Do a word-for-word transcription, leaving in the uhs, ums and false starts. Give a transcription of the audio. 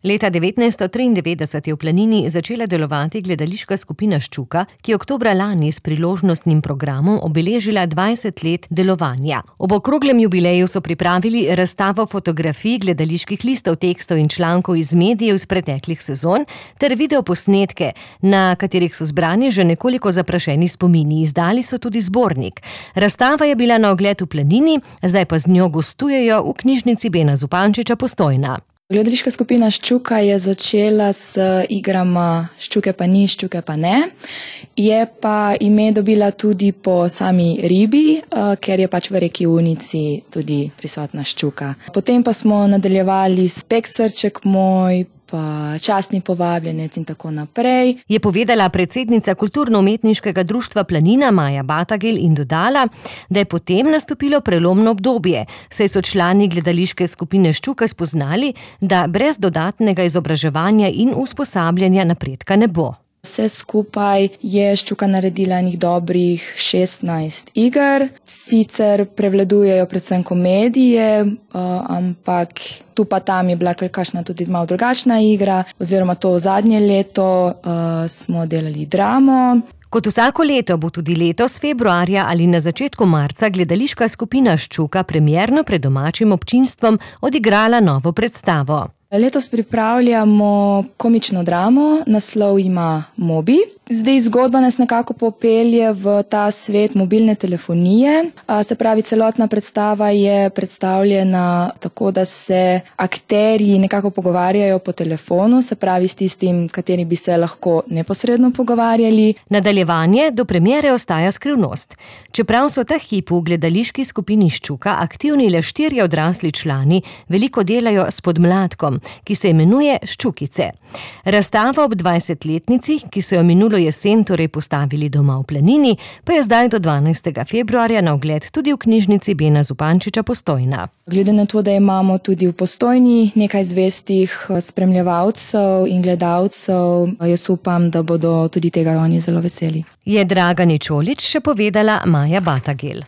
Leta devetnajststo triindevetdeset je v Planini začela delovati gledališka skupina Ščuka, ki je oktobra lani s priložnostnim programom obeležila dvajset let delovanja. Ob okroglem jubileju so pripravili razstavo fotografij, gledaliških listov, tekstov in člankov iz medijev iz preteklih sezon ter videoposnetke, na katerih so zbrani že nekoliko zaprašeni spomini. Izdali so tudi zbornik. Razstava je bila na ogled v Planini, zdaj pa z njo gostujejo v knjižnici Bena Zupančiča Postojna. Gledališka skupina Ščuka je začela s igrama Ščuke pa ni, Ščuke pa ne. Je pa ime dobila tudi po sami ribi, ker je pač v reki Unici tudi prisotna ščuka. Potem pa smo nadaljevali s Pek srček moj, pa Častni povabljenec in tako naprej. Je povedala predsednica Kulturno-umetniškega društva Planina Maja Batagel in dodala, da je potem nastopilo prelomno obdobje, saj so člani gledališke skupine Ščuka spoznali, da brez dodatnega izobraževanja in usposabljanja napredka ne bo. Vse skupaj je Ščuka naredila enih dobrih šestnajst iger, sicer prevladujejo predvsem komedije, ampak tu pa tam je bila kakšna tudi malo drugačna igra, oziroma to zadnje leto smo delali dramo. Kot vsako leto bo tudi letos februarja ali na začetku marca gledališka skupina Ščuka premierno pred domačim občinstvom odigrala novo predstavo. Letos pripravljamo komično dramo, naslov ima Mobi. Zdaj zgodba nas nekako popelje v ta svet mobilne telefonije. Se pravi, celotna predstava je predstavljena tako, da se akterji nekako pogovarjajo po telefonu, se pravi s tistim, kateri bi se lahko neposredno pogovarjali. Nadaljevanje do premiere ostaja skrivnost. Čeprav so ta hip v gledališki skupini Ščuka aktivni le štirje odrasli člani, veliko delajo s podmladkom, ki se imenuje Ščukice. Razstava ob dvajsetletnici, ki so jo minulo jesen torej postavili doma v Planini, pa je zdaj do dvanajstega februarja na ogled tudi v knjižnici Bena Zupančiča Postojna. Glede na to, da imamo tudi v Postojni nekaj zvestih spremljevalcev in gledalcev, jaz upam, da bodo tudi tega oni zelo veseli. Je Draga Ničolič še povedala Maja Batagel.